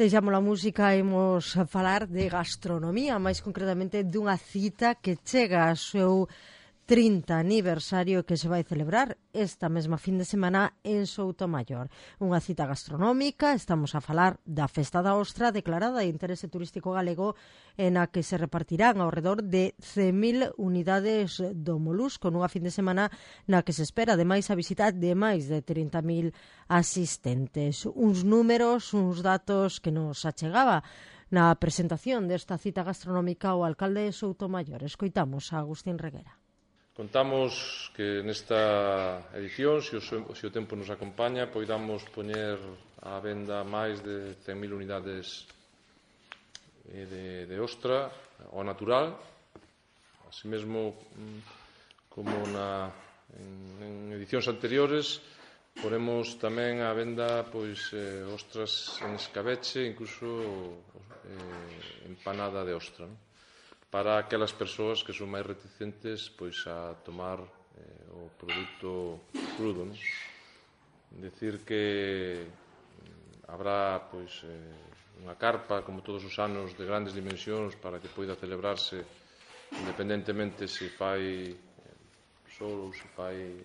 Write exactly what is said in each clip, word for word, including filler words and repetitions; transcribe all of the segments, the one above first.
Deixamos a música e imos falar de gastronomía, máis concretamente dunha cita que chega ao seu trinta aniversario que se vai celebrar esta mesma fin de semana en Soutomaior. Unha cita gastronómica, estamos a falar da Festa da Ostra, declarada de interese turístico galego, en a que se repartirán ao redor de cen mil unidades do molusco nunha fin de semana na que se espera ademais a visita de máis de trinta mil asistentes. Uns números, uns datos que nos achegaba na presentación desta cita gastronómica o alcalde de Soutomaior. Escoitamos a Agustín Reguera. Contamos que nesta edición, se o, se o tempo nos acompaña, poidamos poñer á venda máis de cen mil unidades de, de ostra ao natural, así mesmo como na, en, en edicións anteriores, poremos tamén á venda pois, eh, ostras en escabeche, incluso eh, empanada de ostra, non? Para aquelas persoas que son máis reticentes pois, a tomar eh, o produto crudo. Non? Decir que habrá pois, eh, unha carpa, como todos os anos, de grandes dimensións para que poida celebrarse independentemente se fai sol ou se fai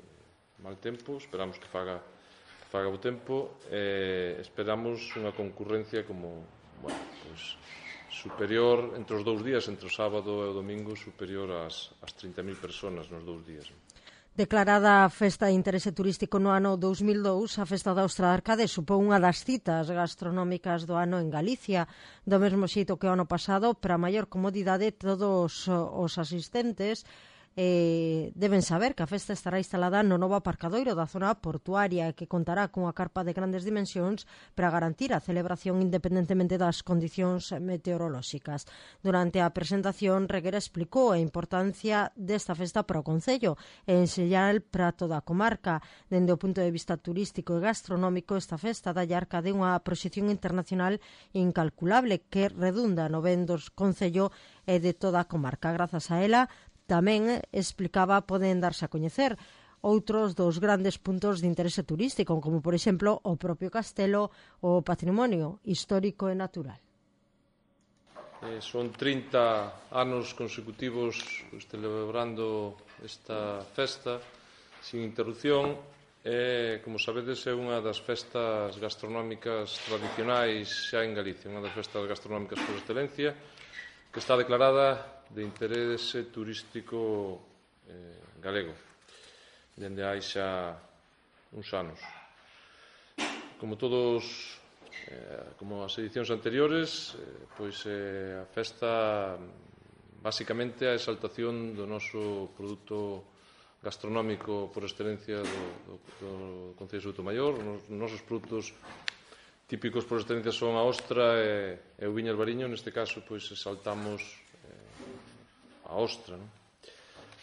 mal tempo. Esperamos que faga, que faga o tempo. Eh, esperamos unha concurrencia como, bueno, pois, superior entre os dous días, entre o sábado e o domingo, superior ás, ás trinta mil personas nos dous días. Declarada a Festa de Interese Turístico no ano dous mil dous, a Festa da Ostra de Arcade supón unha das citas gastronómicas do ano en Galicia. Do mesmo xeito que o ano pasado, para maior comodidade, todos os asistentes Eh, deben saber que a festa estará instalada no novo aparcadoiro da zona portuaria e que contará cunha carpa de grandes dimensións para garantir a celebración independentemente das condicións meteorolóxicas. Durante a presentación, Reguera explicou a importancia desta festa para o Concello e en xeral para toda a comarca. Dende o punto de vista turístico e gastronómico, esta festa dá Arcade unha proxección internacional incalculable que redunda no ben do Concello e de toda a comarca. Grazas a ela, tamén explicaba, poden darse a coñecer outros dos grandes puntos de interese turístico, como, por exemplo, o propio castelo ou o patrimonio histórico e natural. Eh, son trinta anos consecutivos pues, celebrando esta festa sin interrupción e, como sabedes, é unha das festas gastronómicas tradicionais xa en Galicia, unha das festas gastronómicas por excelencia, que está declarada de interese turístico eh, galego dende hai xa uns anos. Como todos, eh, como as edicións anteriores, eh, pois eh, a festa basicamente a exaltación do noso produto gastronómico por excelencia do, do, do Concello de Soutomaior. Os nosos produtos típicos por excelencia son a ostra e, e o viño albariño. Neste caso, pois exaltamos a ostra, non?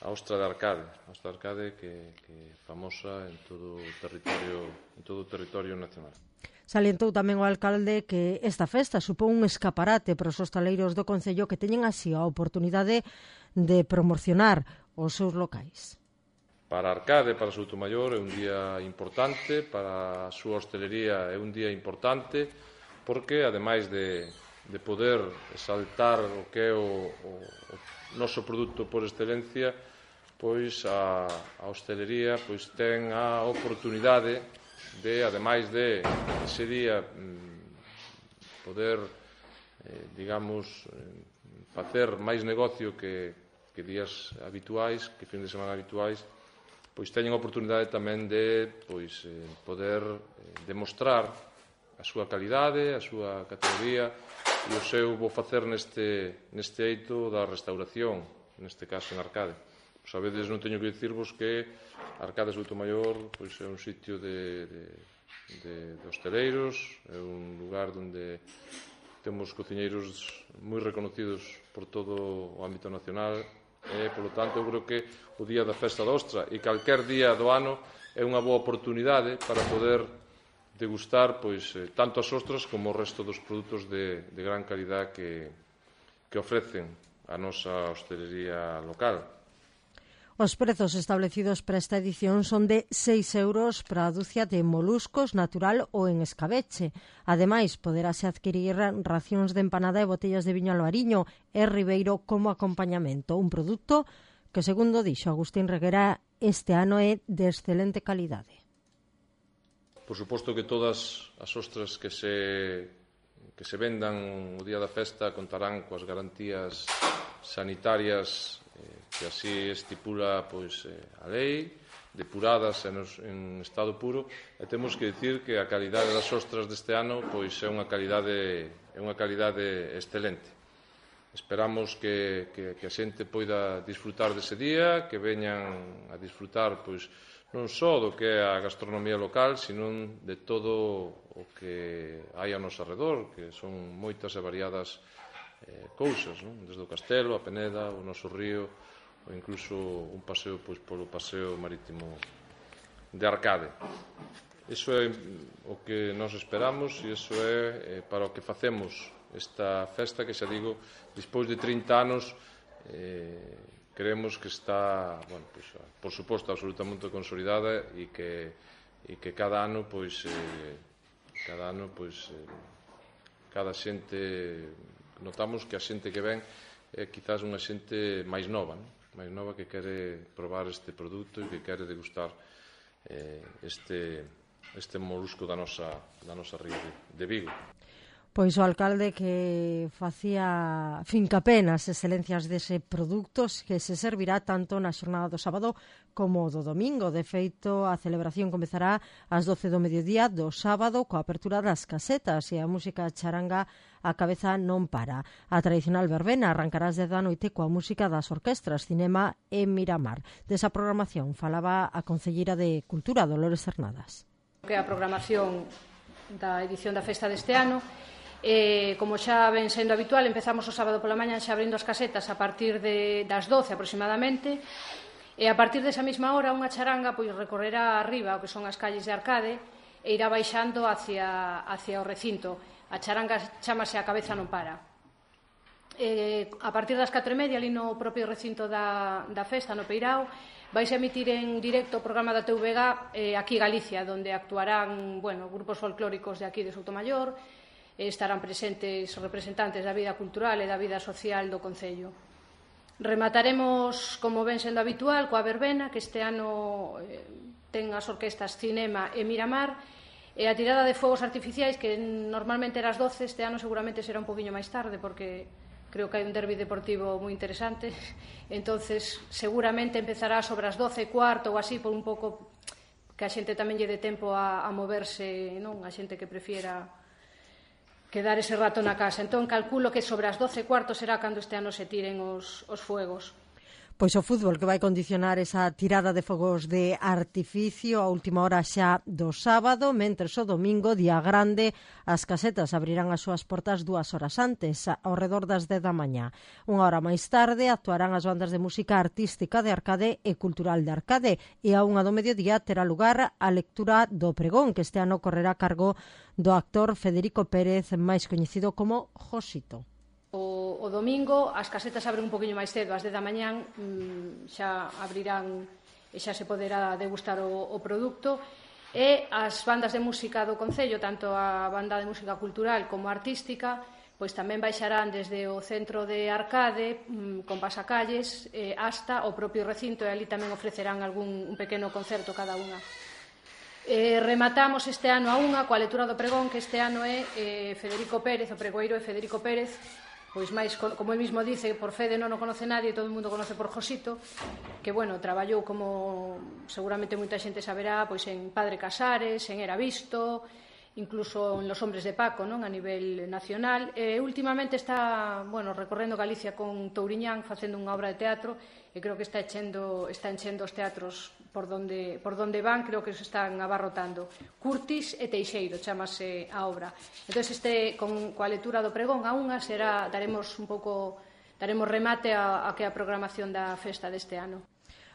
A ostra de Arcade, a ostra de Arcade que, que é famosa en todo o territorio, en todo o territorio nacional. Salientou tamén o alcalde que esta festa supón un escaparate para os hostaleiros do Concello que teñen así a oportunidade de promocionar os seus locais. Para Arcade, para Soutomaior, é un día importante, para a súa hostelería é un día importante, porque, ademais de, de poder exaltar o que é o, o, o noso produto por excelencia, pois a, a hostelería pois ten a oportunidade de, ademais de ese día poder, eh, digamos, facer máis negocio que, que días habituais, que fin de semana habituais, pois teñen a oportunidade tamén de pois, eh, poder eh, demostrar a súa calidade, a súa categoría e o seu bo facer neste, neste eito da restauración, neste caso en Arcade. Sabedes, non teño que dicirvos que Arcade Soutomaior pois, é un sitio de, de, de, de hosteleiros, é un lugar onde temos cociñeiros moi reconocidos por todo o ámbito nacional e, polo tanto, eu creo que o día da Festa da Ostra e calquer día do ano é unha boa oportunidade para poder degustar pois, tanto as ostras como o resto dos produtos de, de gran calidad que, que ofrecen a nosa hostelería local. Os prezos establecidos para esta edición son de seis euros para a dúcia de moluscos natural ou en escabeche. Ademais, poderase adquirir racións de empanada e botellas de viño albariño e ribeiro como acompañamento. Un produto que, segundo dixo Agustín Reguera, este ano é de excelente calidade. Por suposto que todas as ostras que se, que se vendan o día da festa contarán coas garantías sanitarias que así estipula pois, a lei, depuradas en estado puro, e temos que dicir que a calidade das ostras deste ano pois, é unha calidade, é unha calidade excelente. Esperamos que, que, que a xente poida disfrutar dese día, que veñan a disfrutar pois, non só do que é a gastronomía local, sino de todo o que hai ao noso arredor, que son moitas e variadas eh, cousas, non? Desde o castelo, a Peneda, o noso río, ou incluso un paseo pois, polo paseo marítimo de Arcade. Iso é o que nos esperamos e iso é eh, para o que facemos esta festa que, xa digo, despois de trinta anos eh, creemos que está, bueno, pois, por suposto, absolutamente consolidada e que, e que cada ano, pois, eh, cada ano, pois, eh, cada xente, notamos que a xente que ven é quizás unha xente máis nova, non? máis nova que quere probar este produto e que quere degustar eh, este, este molusco da nosa, da nosa ría de, de Vigo. Pois o alcalde que facía fincapé nas excelencias dese produto que se servirá tanto na xornada do sábado como do domingo. De feito, a celebración comezará ás doce do mediodía do sábado coa apertura das casetas e a música charanga a cabeza non para. A tradicional verbena arrancará ás dez da noite coa música das orquestras Cinema e Miramar. Desa programación falaba a concelleira de Cultura, Dolores Cernadas. Que a programación da edición da festa deste ano, Eh, como xa ven sendo habitual, empezamos o sábado pola mañá xa abrindo as casetas a partir de, das doce aproximadamente, e a partir desa mesma hora unha charanga pois recorrerá arriba o que son as calles de Arcade e irá baixando hacia, hacia o recinto. A charanga chámase A Cabeza Non Para. Eh, a partir das catro e media, ali no propio recinto da, da festa, no Peirao, vais a emitir en directo o programa da T V G eh, aquí Galicia, onde actuarán bueno, grupos folclóricos de aquí de Soutomayor. Estarán presentes representantes da vida cultural e da vida social do Concello. Remataremos, como ven sendo habitual, coa verbena, que este ano eh, ten as orquestas Cinema e Miramar, e a tirada de fogos artificiais, que normalmente era as doce, este ano seguramente será un poquinho máis tarde, porque creo que hai un derbi deportivo moi interesante, entonces seguramente empezará sobre as doce e cuarto ou así, por un pouco que a xente tamén lle dé tempo a, a moverse, non? A xente que prefiera quedar ese rato na casa. Entón, calculo que sobre as doce e cuarto será cando este ano se tiren os, os fuegos. Pois o fútbol que vai condicionar esa tirada de fogos de artificio a última hora xa do sábado, mentres o domingo, día grande, as casetas abrirán as súas portas dúas horas antes, ao redor das dez da mañá. Unha hora máis tarde actuarán as bandas de música artística de Arcade e cultural de Arcade, e a unha do mediodía terá lugar a lectura do pregón, que este ano correrá a cargo do actor Federico Pérez, máis coñecido como Josito. O, o domingo as casetas abren un poquinho máis cedo, ás dez da mañán mmm, xa abrirán e xa se poderá degustar o, o produto, e as bandas de música do Concello, tanto a banda de música cultural como artística, pois tamén baixarán desde o centro de Arcade mmm, con pasacalles eh, hasta o propio recinto, e ali tamén ofrecerán algún un pequeno concerto cada unha. Eh, rematamos este ano a unha coa lectura do pregón, que este ano é eh, Federico Pérez, o pregoeiro é Federico Pérez, pois máis, como el mismo dice, por Fede non o conoce nadie, todo o mundo conoce por Josito, que, bueno, traballou como seguramente moita xente saberá, pois en Padre Casares, en Era Visto, incluso en Los Hombres de Paco, non, a nivel nacional. E últimamente está, bueno, recorrendo Galicia con Touriñán, facendo unha obra de teatro, e creo que está enchendo, está enchendo os teatros por donde, por donde van, creo que se están abarrotando. Curtis e Teixeiro chamase a obra. Entón, este, con, coa lectura do pregón a unha, será, daremos un pouco, daremos remate a, a que a programación da festa deste ano.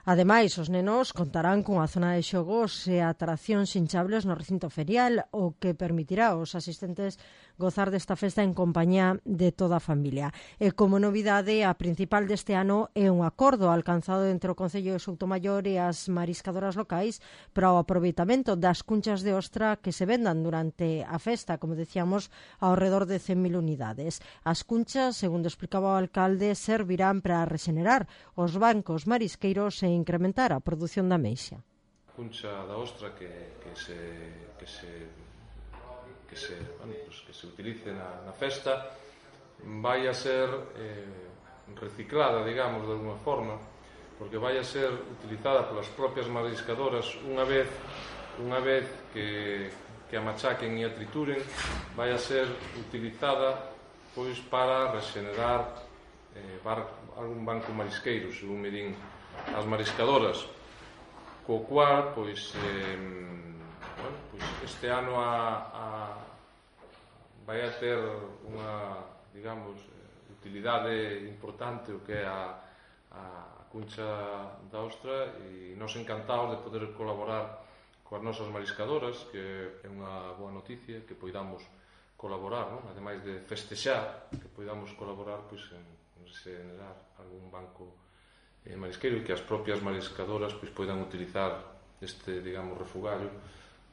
Ademais, os nenos contarán cunha zona de xogos e atraccións hinchables no recinto ferial, o que permitirá aos asistentes gozar desta festa en compañía de toda a familia. E como novidade, a principal deste ano é un acordo alcanzado entre o Concello de Soutomaior e as mariscadoras locais para o aproveitamento das cunchas de ostra que se vendan durante a festa, como decíamos, ao redor de cen mil unidades. As cunchas, segundo explicaba o alcalde, servirán para rexenerar os bancos marisqueiros e incrementar a produción da ameixa. A cuncha da ostra que, que se... Que se que se, bueno, pues que se utilice na, na festa vai a ser eh, reciclada, digamos, de alguna forma, porque vai a ser utilizada polas propias mariscadoras unha vez unha vez que, que a machaquen e a trituren, vai a ser utilizada pois para regenerar eh, bar, algún banco marisqueiro, según me din as mariscadoras, co cual pois eh, bueno, pues este ano a, a, vai a ter unha, digamos, utilidade importante o que é a, a cuncha da ostra, e nos encantados de poder colaborar coas nosas mariscadoras, que é unha boa noticia que poidamos colaborar, non? Ademais de festexar, que poidamos colaborar pois, en, en generar algún banco eh, marisqueiro, e que as propias mariscadoras pois, poidan utilizar este, digamos, refugallo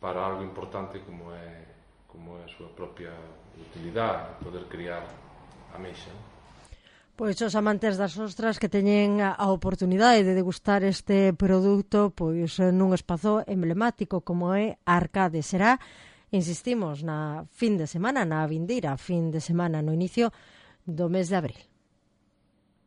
para algo importante como é, como é a súa propia utilidade, poder criar ameixa. Pois os amantes das ostras que teñen a oportunidade de degustar este produto pois nun espazo emblemático como é Arcade. Será, insistimos, na fin de semana, na vindeira fin de semana, no inicio do mes de abril.